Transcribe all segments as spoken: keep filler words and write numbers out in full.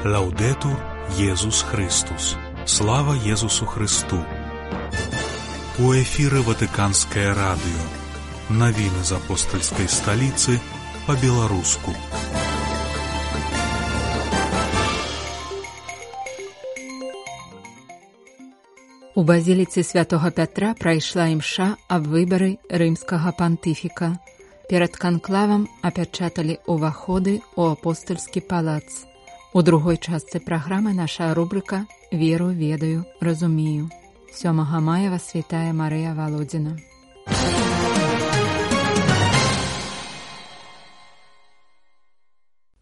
Лаўдетур Єсус Христос. Слава Єсусу Христу. У эфіры Ватыканскае радыё. Навіны з апостальскай сталіцы па-беларуску. У базіліцы святога Пятра прайшла імша аб выбары рымскага пантыфіка. Перад канклавам апячаталі ўваходы ў апостальскі палац. У другой частцы праграмы наша рубрыка «Веру, ведаю, разумею». сёмага мая вас вітае Марыя Валодзіна.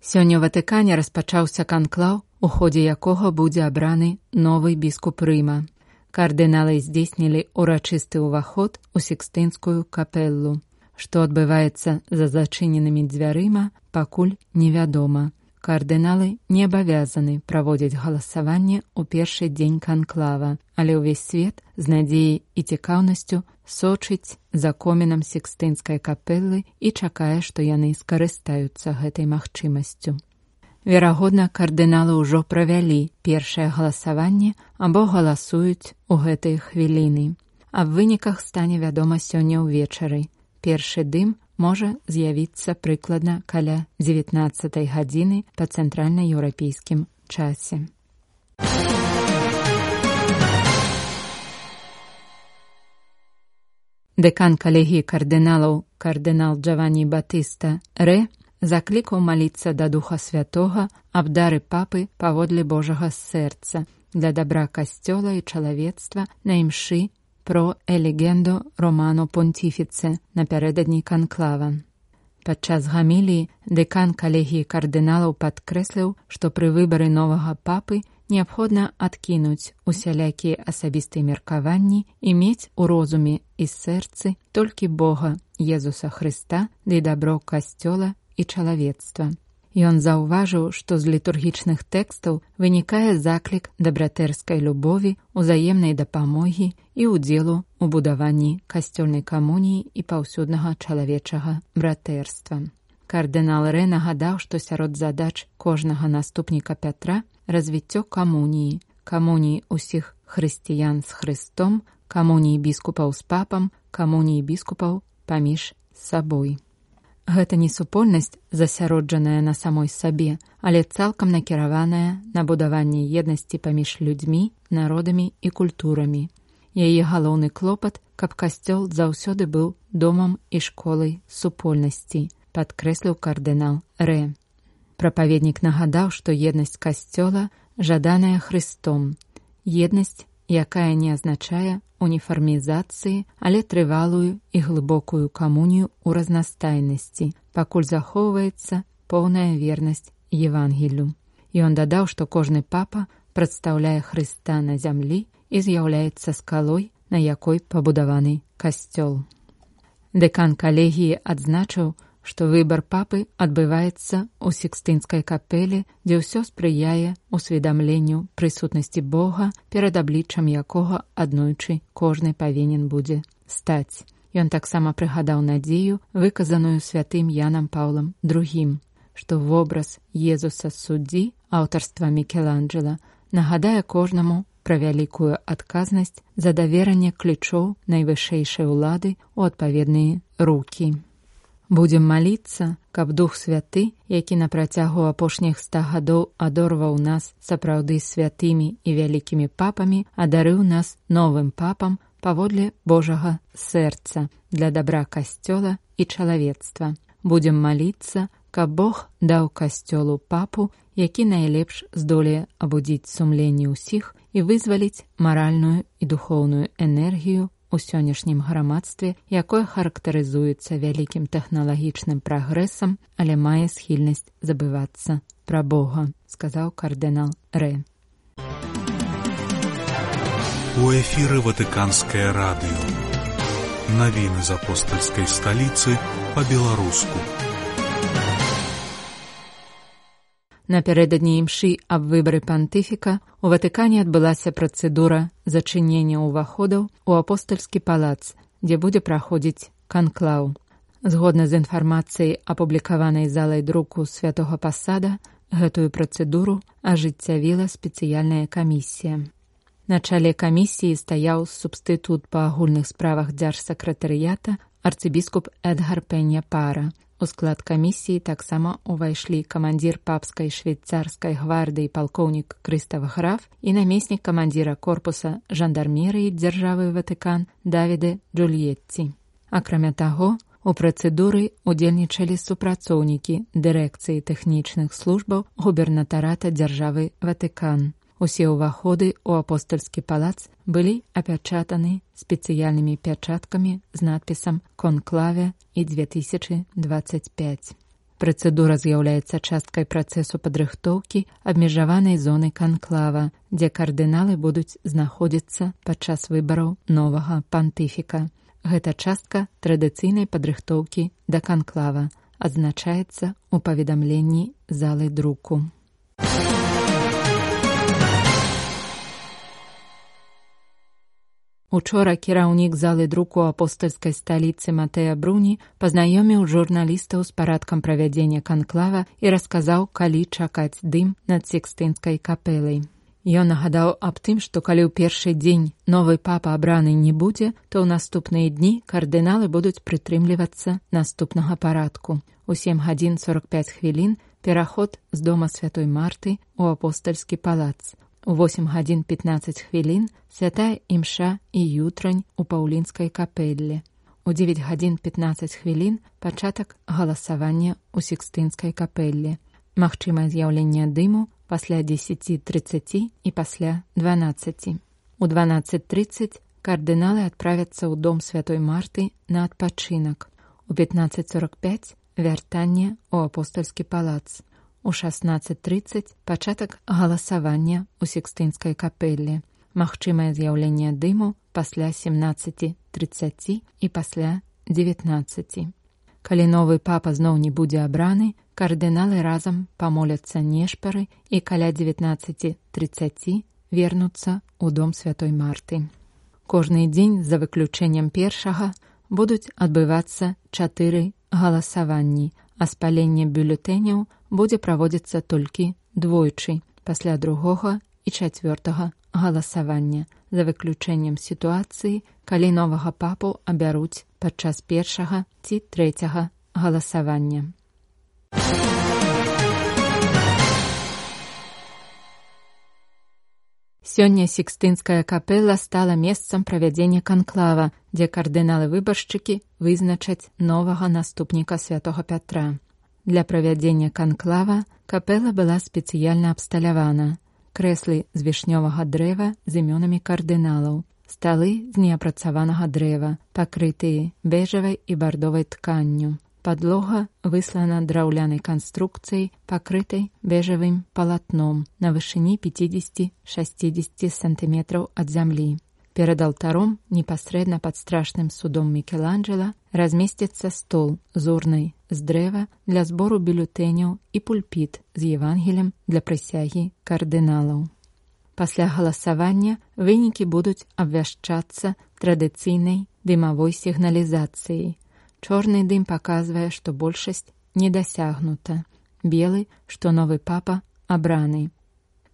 Сёння ў Ватыкане распачаўся канклаў, у ходзе якога будзе абраны новы біскуп Рыма. Кардыналы здзейснілі урачысты ўваход у Сікстынскую капеллу. Што адбываецца за зачыненымі дзвярыма, пакуль невядома. Кардыналы не абавязаны праводзіць галасаванне ў першы дзень канклава, але ўвесь свет з надзеяй і цікаўнасцю сочыць за комінам Сікстынскай капеллы і чакае, што яны скарыстаюцца гэтай магчымасцю. Верагодна, кардыналы ўжо правялі першае галасаванне або галасуюць у гэтыя хвіліны. Аб выніках стане вядома сёння ўвечары. Першы дым можа з'явіцца прыкладна каля дзевятнаццатай гадзіны па цэнтральна-еўрапейскім часе. Дэкан калегіі кардыналаў кардынал Джаванні Батыста Рэ заклікаў маліцца да Духа Святога аб дары папы паводле Божага сэрца для дабра касцёла і чалавецтва на імшы про «Елегендо Романо Понтіфіце» напярэдадні канклава. Падчас гаміліі дэкан калегіі кардыналаў падкрэсліў, што пры выбары новага папы неабходна адкінуць усялякія асабістыя меркаванні і мець у розуме і сэрцы толькі Бога, Езуса Хрыста, ды дабро касцёла і чалавецтва. Ён заўважыў, што з літургічных тэкстаў вынікае заклік да братэрскай любові, узаемнай дапамогі і ўдзелу ў будаванні касцёльнай камуніі і паўсюднага чалавечага братэрства. Кардынал Рэ нагадаў, што сярод задач кожнага наступніка Пятра развіццё камуніі, камуніі ўсіх хрысціян з Хрыстом, камуніі біскупаў з папам, камуніі біскупаў паміж сабой. Гэта не супольнасць, засяроджаная на самой сабе, але цалкам накіраваная на будаванне еднасці паміж людзьмі, народамі і культурамі. Яе галоўны клопат, каб касцёл заўсёды быў домам і школай супольнасці, падкрэсліў кардынал Рэ. Прапаведнік нагадаў, што еднасць касцёла жаданая Хрыстом. Еднасць, якая не азначае уніфармізацыі, але трывалую і глыбокую камунію ў разнастайнасці, пакуль захоўваецца поўная вернасць Евангелію. Ён дадаў, што кожны папа прадстаўляе Хрыста на зямлі і з'яўляецца скалой, на якой пабудаваны касцёл. Дэкан калегіі адзначыў, што выбар папы адбываецца ў Сікстынскай капеле, дзе ўсё спрыяе усведамленню прысутнасці Бога, перад абліччам якога аднойчы кожны павінен будзе стаць. Ён таксама прыгадаў надзею, выказаную святым Янам Паўлам другім, што вобраз Езуса суддзі аўтарства Мікеланджэла нагадае кожнаму пра вялікую адказнасць за даверанне ключоў найвышэйшай улады ў адпаведныя рукі. Будзем маліцца, каб Дух Святы, які на працягу апошніх ста гадоў адорваў нас сапраўды святымі і вялікімі папамі, адарыў нас новым папам паводле Божага сэрца для дабра касцёла і чалавецтва. Будзем маліцца, каб Бог даў касцёлу папу, які найлепш здолее абудзіць сумленне ўсіх і вызваліць маральную і духоўную энергію у сённяшнім грамадстве, якое характарызуецца вялікім тэхналагічным прагрэсам, але мае схільнасць забывацца пра Бога, сказаў кардынал Рэ. У эфіры Ватыканскае радыё. Навіны з апостальскай сталіцы па-беларуску. Напярэдадні імшы аб выбары пантыфіка у Ватыкане адбылася працэдура зачынення ўваходаў у апостальскі палац, дзе будзе праходзіць канклаў. Згодна з інфармацыяй, апублікаванай залай друку Святога Пасада, Гэтую працэдуру ажыццявіла спецыяльная камісія. На чале камісіі стаяў субстытут па агульных справах дзяржсакратарыята арцыбіскуп Эдгар Пенья Пара. У склад камісіі таксама ўвайшлі камандзір папскай швейцарскай гвардыі палкоўнік Крыстаф Граф і намеснік камандзіра корпуса жандармерыі дзяржавы Ватыкан Давіде Джульетці. Акрамя таго, у працэдуры удзельнічалі супрацоўнікі дырэкцыі тэхнічных службаў губернатарата дзяржавы Ватыкан. Усе ўваходы ў апостальскі палац былі апячатаны спецыяльнымі пячаткамі з надпісам «Конклаве» і две тысячы двадцать пять. Працэдура з'яўляецца часткай працэсу падрыхтоўкі абмежаванай зоны канклава, дзе кардыналы будуць знаходзіцца падчас выбараў новага пантыфіка. Гэта частка традыцыйнай падрыхтоўкі да канклава, адзначаецца ў паведамленні залы друку. Учора кіраўнік залы друку апостальскай сталіцы Матэа Бруні пазнаёміў журналістаў з парадкам правядзення канклава і расказаў, калі чакаць дым над Сікстынскай капэлай. Ён нагадаў аб тым, што калі ў першы дзень новы папа абраны не будзе, то ў наступныя дні кардыналы будуць прытрымлівацца наступнага парадку. У сем гадзін сорок пяць хвілін пераход з дома святой Марты ў апостальскі палац. У восем гадзін пятнаццаць хвілін святая імша і ютрань у Паўлінскай капэлле. У дзевяць гадзін пятнаццаць хвілін пачатак галасавання ў Сікстынскай капэлле. Магчымае з'яўленне дыму пасля дзесяці трыццаці і пасля дванаццаці. У дванаццаць трыццаць кардыналы адправяцца ў дом святой Марты на адпачынак. У пятнаццаць сорок пяць вяртанне ў апостальскі палац. У шаснаццаць трыццаць пачатак галасавання ў Сікстынскай капэлле. Магчымае з'яўленне дыму пасля семнаццаці трыццаці і пасля дзевятнаццаці. Калі новы папа зноў не будзе абраны, кардыналы разам памоляцца нешпары і каля дзевятнаццаці трыццаці вернуцца ў дом святой Марты. Кожны дзень, за выключэннем першага, будуць адбывацца чатыры галасаванні, а спаленне бюлетэняў будзе праводзіцца толькі двойчы, пасля другога і чацвёртага галасавання, за выключэннем сітуацыі, калі новага папу абяруць падчас першага ці трэцяга галасавання. Сёння Сікстынская капэла стала месцам правядзення канклава, дзе кардыналы-выбаршчыкі вызначаць новага наступніка святога Пятра. Для правядзення канклава капэла была спецыяльна абсталявана. Крэслы з вішнёвага дрэва з імёнамі кардыналаў, сталы з неапрацаванага дрэва, пакрытыя бэжавай і бардовай тканню. Падлога выслана драўлянай канструкцыяй, пакрытай бэжавым палатном на вышыні пяцьдзесят-шэсцьдзесят сантыметраў ад зямлі. Перад алтаром, непасрэдна пад страшным судом Мікеланджэла, размесціцца стол з урнай з дрэва для збору бюлетэняў і пульпіт з Евангелем для прысягі кардыналаў. Пасля галасавання вынікі будуць абвяшчацца традыцыйнай дымавой сігналізацыяй. Чорны дым паказвае, што большасць не дасягнута. Белы, што новы папа абраны.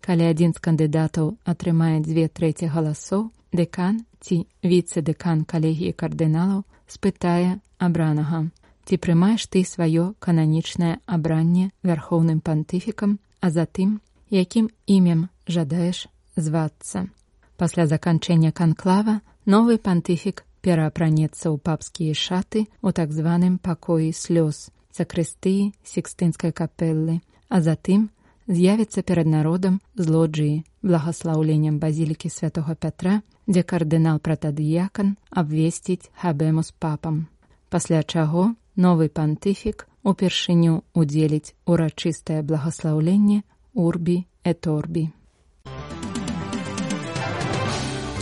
Калі адзін з кандыдатаў атрымае дзве трэці галасоў, дэкан ці віцэ-дэкан калегіі кардыналаў спытае абранага: ці прымаеш ты сваё кананічнае абранне вярхоўным пантыфікам, а затым, якім імем жадаеш звацца. Пасля заканчэння канклава новы пантыфік пераапранецца ў папскія шаты ў так званым пакоі слёз, сакрыстыі Сікстынскай капэллы, а затым з'явіцца перад народам з лоджыі благаслаўленнем базілікі святога Пятра, дзе кардынал-пратадыякан абвесціць хабэмус папам. Пасля чаго новы пантыфік упершыню удзеліць урачыстае благаслаўленне Урбі эт Орбі.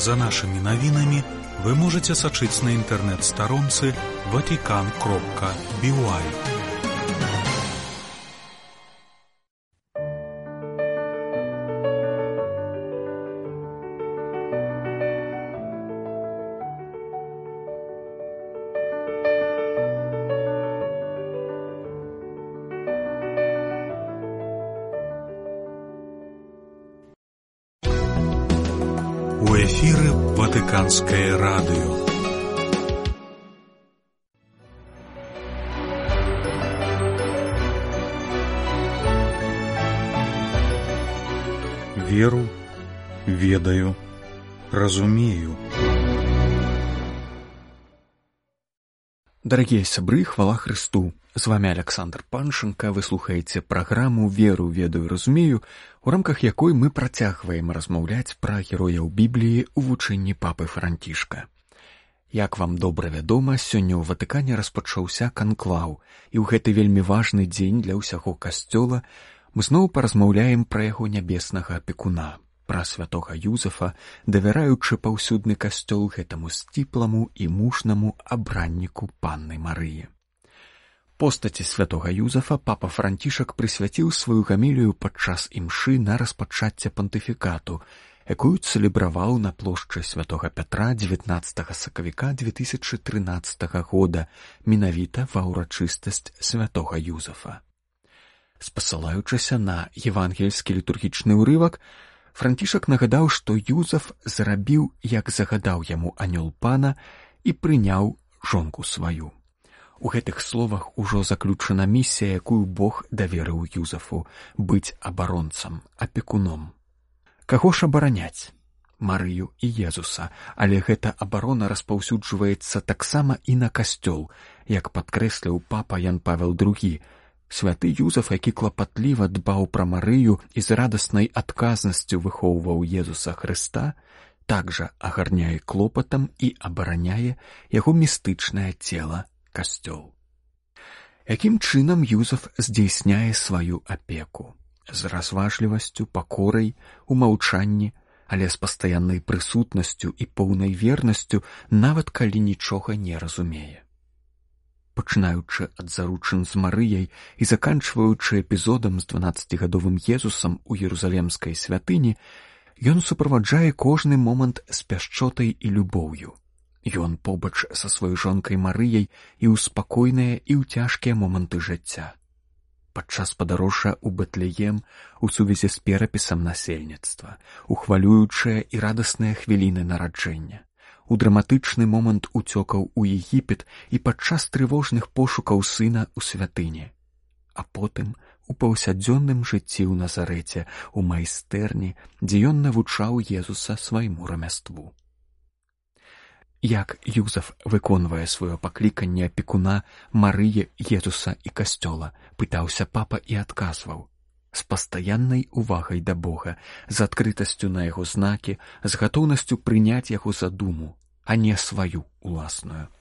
За нашымі навінамі вы можете сачыць на інтэрнэт-старонцы ватикан кропка би уай. эфире Ватиканское радио. Веру, ведаю, разумею. Дорогие сябры, хвала Христу! З вами Александр Паншенко, вы слухаеце праграму «Веру, ведаю, разумею», у рамках якой мы працягваем размаўляць пра герояў Бібліі ў вучэнні папы Францішка. Як вам добра вядома, сёння ў Ватыкане распачаўся канклаў, і ў гэты вельмі важны дзень для ўсяго касцёла мы зноў паразмаўляем пра яго нябеснага апекуна, пра святога Юзафа, давяраючы паўсюдны касцёл гэтаму сціпламу і мужнаму абранніку Панны Марыі. Постаці святога Юзафа папа Францішак прысвяціў сваю гамілію падчас імшы на распачацце пантыфікату, якую цэлебраваў на плошчы святога Пятра дзевятнаццатага сакавіка две тысячы трынаццатага года, менавіта ва ўрачыстасць святога Юзафа. Спасылаючыся на евангельскі літургічны ўрывак, Францішак нагадаў, што Юзаф зрабіў, як загадаў яму анёл пана, і прыняў жонку сваю. У гэтых словах ужо заключана місія, якую Бог даверыў Юзафу — быць абаронцам, апекуном. Каго ж абараняць? Марыю і Езуса, але гэта абарона распаўсюджваецца таксама і на касцёл, як падкрэсліў папа Ян Павел другі. Святы Юзаф, які клапатліва дбаў пра Марыю і з радаснай адказнасцю выхоўваў Езуса Хрыста, такжа агарняе клопатам і абараняе яго містычнае цела, касцёл. Якім чынам Юзаф здзейсняе сваю апеку? З разважлівасцю, пакорай, у маўчанні, але з пастаяннай прысутнасцю і поўнай вернасцю, нават калі нічога не разумее. Пачынаючы ад заручын з Марыяй і заканчваючы эпізодам з дванаццацігадовым Езусам у Ерусалемскай святыні, ён суправаджае кожны момант з пяшчотай і любоўю. Ён побач са сваёй жонкай Марыяй і ў спакойныя і ў цяжкія моманты жыцця. Падчас падарожжа ў Бэтлеем, у сувязі з перапісам насельніцтва, у хвалюючыя і радасныя хвіліны нараджэння, у драматычны момант уцёкаў у Егіпет і падчас трывожных пошукаў сына ў святыні, а потым у паўсядзённым жыцці ў Назарэце, у майстэрні, дзе ён навучаў Езуса свайму рамяству. Як Юзаф выконвае сваё пакліканне апекуна Марыі, Езуса і касцёла, пытаўся папа і адказваў. З пастаяннай увагай да Бога, з адкрытасцю на яго знакі, з гатоўнасцю прыняць яго задуму, а не сваю уласную.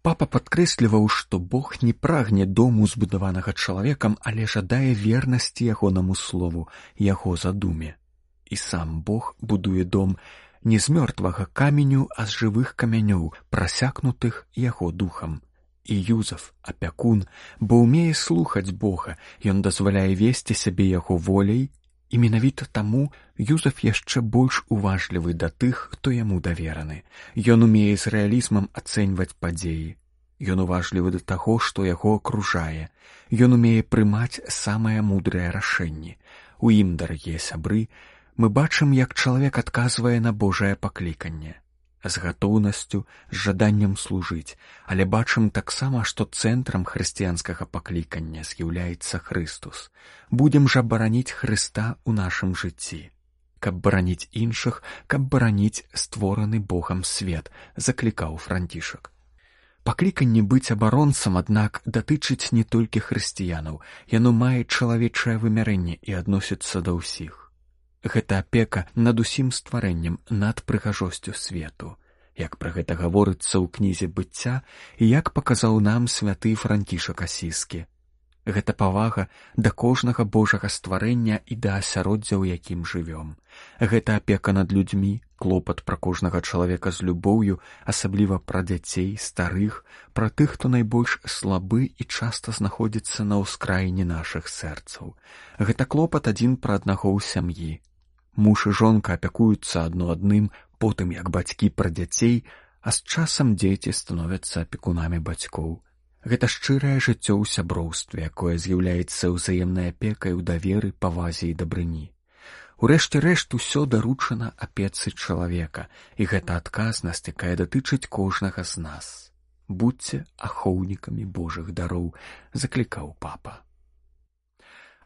Папа падкрэсліваў, што Бог не прагне дому, збудаванага чалавекам, але жадае вернасці ягонаму слову, яго задуме. І сам Бог будуе дом не з мёртвага каменю, а з жывых камянёў, прасякнутых яго духам. І Юзаф, апякун, бо ўмее слухаць Бога, ён дазваляе весці сябе яго воляй, і менавіта таму Юзаф яшчэ больш уважлівы да тых, хто яму давераны. Ён умее з рэалізмам ацэньваць падзеі. Ён уважлівы да таго, што яго акружае. Ён умее прымаць самыя мудрыя рашэнні. У ім, дарагія сябры, мы бачым, як чалавек адказвае на Божае пакліканне. З гатоўнасцю, з жаданнем служыць, але бачым таксама, што цэнтрам хрысціянскага паклікання з'яўляецца Хрыстус. Будзем жа бараніць Хрыста ў нашым жыцці. Каб бараніць іншых, каб бараніць створаны Богам свет, заклікаў Францішак. Пакліканне быць абаронцам, аднак, датычыць не толькі хрысціянаў, яно мае чалавечае вымярэнне і адносіцца да ўсіх. Гэта апека над усім стварэннем, над прыгажосцю свету, як пра гэта гаворыцца ў кнізе быцця і як паказаў нам святы Францішак Асіскі. Гэта павага да кожнага Божага стварэння і да асяроддзя, у якім жывём. Гэта апека над людзьмі, клопат пра кожнага чалавека з любоўю, асабліва пра дзяцей, старых, пра тых, хто найбольш слабы і часта знаходзіцца на ўскраіне нашых сэрцаў. Гэта клопат адзін пра аднаго ў сям'і. Муж і жонка апякуюцца адно адным, потым як бацькі пра дзяцей, а з часам дзеці становяцца апекунамі бацькоў. Гэта шчырае жыццё ў сяброўстве, якое з'яўляецца ўзаемнай апекай у даверы, павазе і дабрыні. Урэшце рэшт усё даручана апецы чалавека, і гэта адказнасць, якая датычыць кожнага з нас. Будзьце ахоўнікамі Божых дароў, заклікаў папа.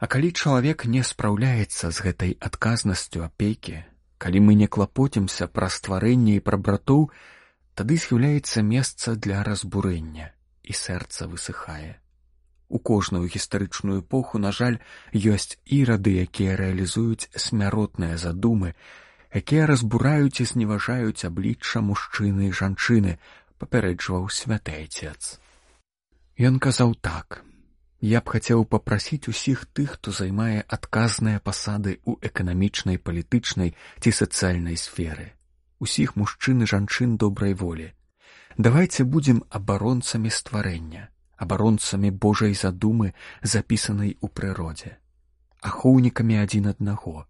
А калі чалавек не спраўляецца з гэтай адказнасцю апекі, калі мы не клапоцімся пра стварэнне і пра братоў, тады з'яўляецца месца для разбурэння, і сэрца высыхае. У кожную гістарычную эпоху, на жаль, ёсць ірады, якія рэалізуюць смяротныя задумы, якія разбураюць і зневажаюць аблічча мужчыны і жанчыны, папярэджваў святы айцец. Ён казаў так: «Я б хацеў папрасіць усіх тых, хто займае адказныя пасады ў эканамічнай, палітычнай ці сацыяльнай сферы, усіх мужчын і жанчын добрай волі. Давайце будзем абаронцамі стварэння, абаронцамі Божай задумы, запісанай у прыродзе, ахоўнікамі адзін аднаго,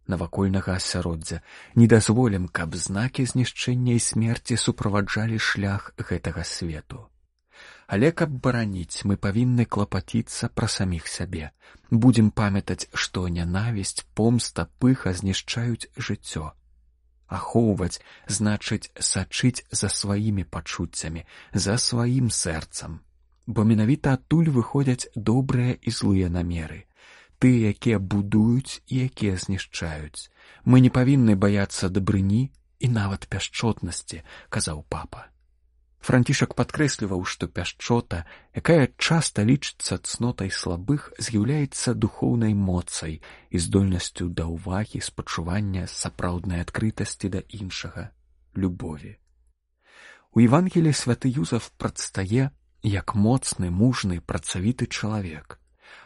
навакольнага асяроддзя, не дазволім, каб знакі знішчэння і смерці суправаджалі шлях гэтага свету. Але каб бараніць, мы павінны клапаціцца пра саміх сябе. Будзем памятаць, што нянавісць, помста, пыха знішчаюць жыццё. Ахоўваць значыць сачыць за сваімі пачуццямі, за сваім сэрцам. Бо менавіта адтуль выходзяць добрыя і злыя намеры. Тыя, якія будуюць і якія знішчаюць. Мы не павінны баяцца дабрыні і нават пяшчотнасці, казаў папа. Францішак падкрэсліваў, што пяшчота, якая часта лічыцца цнотай слабых, з'яўляецца духоўнай моцай і здольнасцю да ўвагі, спачування, сапраўднай адкрытасці да іншага, любові. У Евангеліі святы Юзаф прадстае як моцны, мужны, працавіты чалавек.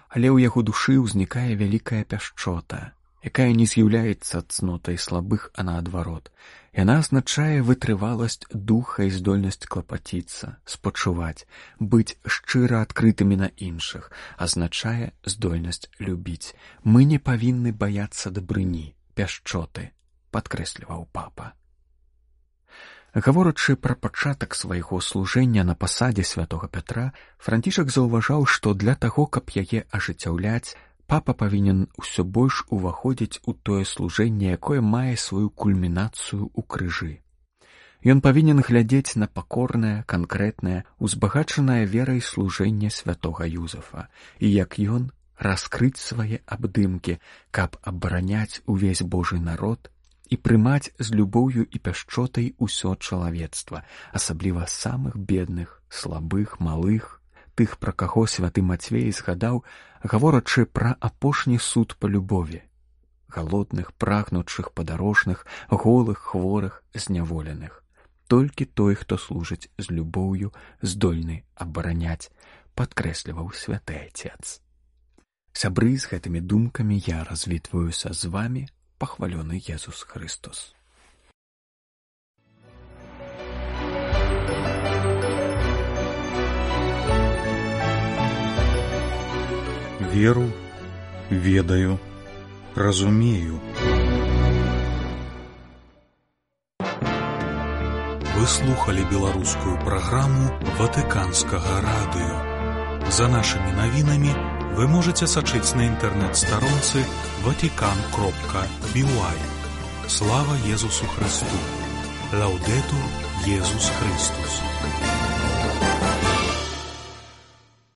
Але ў яго душы ўзнікае вялікая пяшчота, якая не з'яўляецца цнотай слабых, а наадварот. Яна азначае вытрываласць духа і здольнасць клапаціцца, спачуваць, быць шчыра адкрытымі на іншых, азначае здольнасць любіць. Мы не павінны баяцца дабрыні, пяшчоты, падкрэсліваў папа. Гаворачы пра пачатак свайго служэння на пасадзе святога Пятра, Францішак заўважаў, што для таго, каб яе ажыццяўляць, папа павінен усё больш уваходзіць у тое служэнне, якое мае сваю кульмінацыю ў крыжы. Ён павінен глядзець на пакорнае, канкрэтнае, узбагачанае верай служэнне святога Юзафа, і як ён раскрыць свае абдымкі, каб абараняць увесь Божы народ і прымаць з любоўю і пяшчотай усё чалавецтва, асабліва самых бедных, слабых, малых, тых, пра каго святы Мацвей згадаў, гаворачы пра апошні суд па любові, галодных, прагнучых, падарожных, голых, хворых, зняволеных. Толькі той, хто служыць з любоўю, здольны абараняць, падкрэсліваў святы айцец. Сябры, з гэтымі думкамі я развітваюся з вамі, пахвалёны Езус Христос. Веру, ведаю, разумею. Вы слухали беларускую праграму Ватыканскага радыё. За нашымі навінамі вы можете сачыць на інтэрнэт-старонцы ватикан кропка би уай. Слава Езусу Христу! Лаудетур Езус Христус!